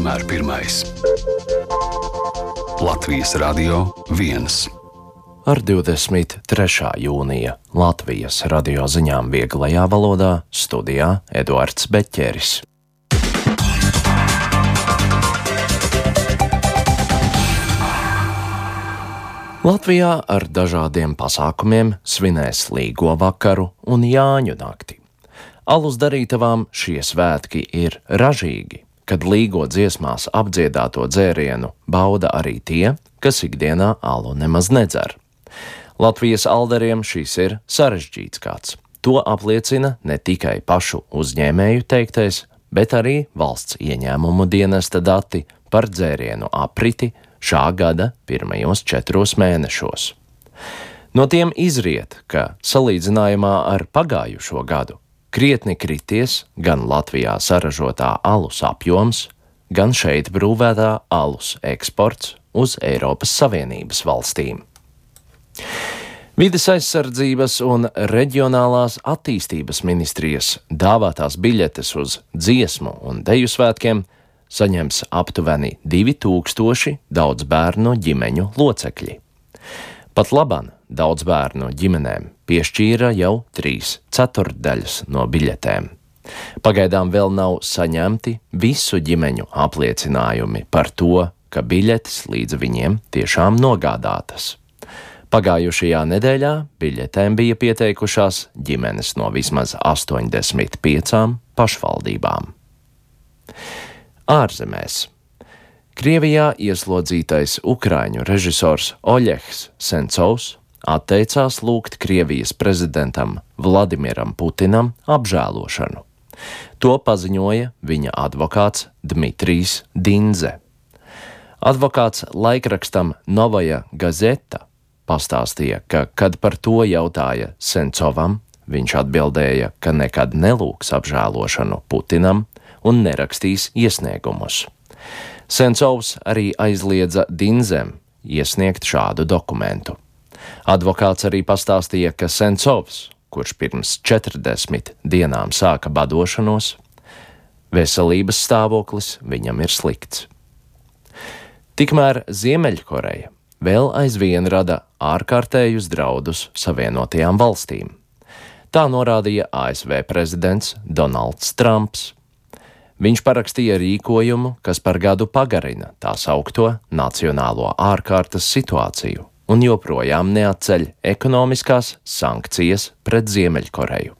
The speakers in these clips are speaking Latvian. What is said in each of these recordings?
vienmēr pirmais. Latvijas Radio 1. Ar 23. jūnija Latvijas radio ziņām vieglajā valodā studijā Eduards Beķeris. Latvijā ar dažādiem pasākumiem svinēs Līgo vakaru un Jāņu nakti. Alus darītavām šie svētki ir ražīgi, kad Līgo dziesmās apdziedāto dzērienu bauda arī tie, kas ikdienā alu nemaz nedzer. Latvijas alderiem šis ir sarežģīts gads. To apliecina ne tikai pašu uzņēmēju teiktais, bet arī valsts ieņēmumu dienesta dati par dzērienu apriti šā gada pirmajos 4 mēnešos. No tiem izriet, ka salīdzinājumā ar pagājušo gadu krietni krities gan Latvijā saražotā alus apjoms, gan šeit brūvētā alus eksports uz Eiropas Savienības valstīm. Vides aizsardzības un reģionālās attīstības ministrijas dāvātās biļetes uz dziesmu un deju svētkiem saņems aptuveni 2000 daudzbērnu ģimeņu locekļi. Pat laban daudzbērnu ģimenēm piešķīra jau 3/4 no biļetēm. Pagaidām vēl nav saņemti visu ģimeņu apliecinājumi par to, ka biļetes līdz viņiem tiešām nogādātas. Pagājušajā nedēļā biļetēm bija pieteikušās ģimenes no vismaz 85 pašvaldībām. Ārzemēs. Krievijā ieslodzītais ukraiņu režisors Oļegs Sencovs atteicās lūgt Krievijas prezidentam Vladimiram Putinam apžēlošanu. To paziņoja viņa advokāts Dmitrijs Dindze. Advokāts laikrakstam Novaja Gazeta pastāstīja, ka, kad par to jautāja Sencovam, viņš atbildēja, ka nekad nelūgs apžēlošanu Putinam un nerakstīs iesniegumus. Sencovs arī aizliedza Dindzem iesniegt šādu dokumentu. Advokāts arī pastāstīja, ka Sencovs, kurš pirms 40 dienām sāka badošanos, veselības stāvoklis viņam ir slikts. Tikmēr Ziemeļkoreja vēl aizvien rada ārkārtējus draudus Savienotajām valstīm. Tā norādīja ASV prezidents Donalds Trumps. Viņš parakstīja rīkojumu, kas par gadu pagarina tā saukto nacionālo ārkārtas situāciju un joprojām neatceļ ekonomiskās sankcijas pret Ziemeļkoreju.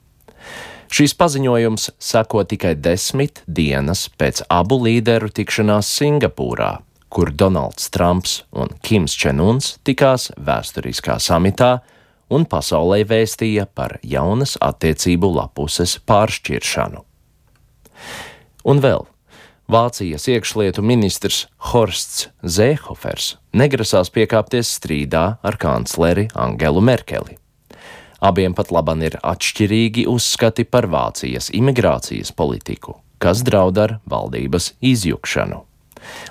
Šīs paziņojums seko tikai 10 dienas pēc abu līderu tikšanās Singapūrā, kur Donalds Trumps un Kims Čenuns tikās vēsturiskā samitā un pasaulē vēstīja par jaunas attiecību lapuses pāršķiršanu. Un vēl, Vācijas iekšlietu ministrs Horsts Zēhofers negrasās piekāpties strīdā ar kancleri Angelu Merkeli. Abiem pat laban ir atšķirīgi uzskati par Vācijas imigrācijas politiku, kas draud ar valdības izjukšanu.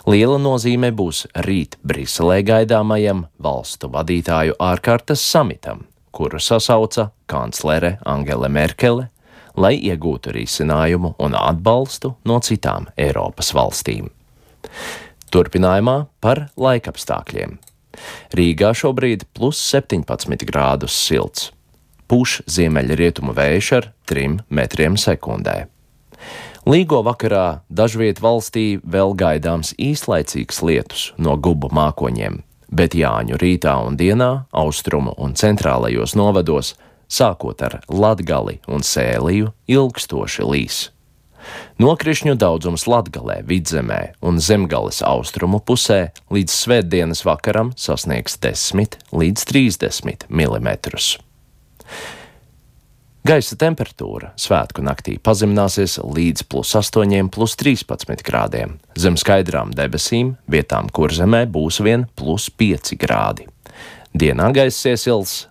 Liela nozīme būs rīt Briselē gaidāmajam valstu vadītāju ārkārtas samitam, kuru sasauca kanclere Angela Merkele, lai iegūtu risinājumu un atbalstu no citām Eiropas valstīm. Turpinājumā par laikapstākļiem. Rīgā šobrīd +17 grādus silts. Pūš ziemeļrietumu vējš ar 3 metriem sekundē. Līgo vakarā dažviet valstī vēl gaidāms īslaicīgs lietus no gubu mākoņiem, bet Jāņu rītā un dienā austrumu un centrālajos novados sākot ar Latgali un Sēliju, ilgstoši līs. Nokrišņu daudzums Latgalē, Vidzemē un Zemgales austrumu pusē līdz svētdienas vakaram sasniegs 10 līdz 30 mm. Gaisa temperatūra svētku naktī pazemināsies līdz +8, +13 grādiem. Zem skaidrām debesīm vietām Kurzemē būs vien +5 grādi. Dienā gaiss iesils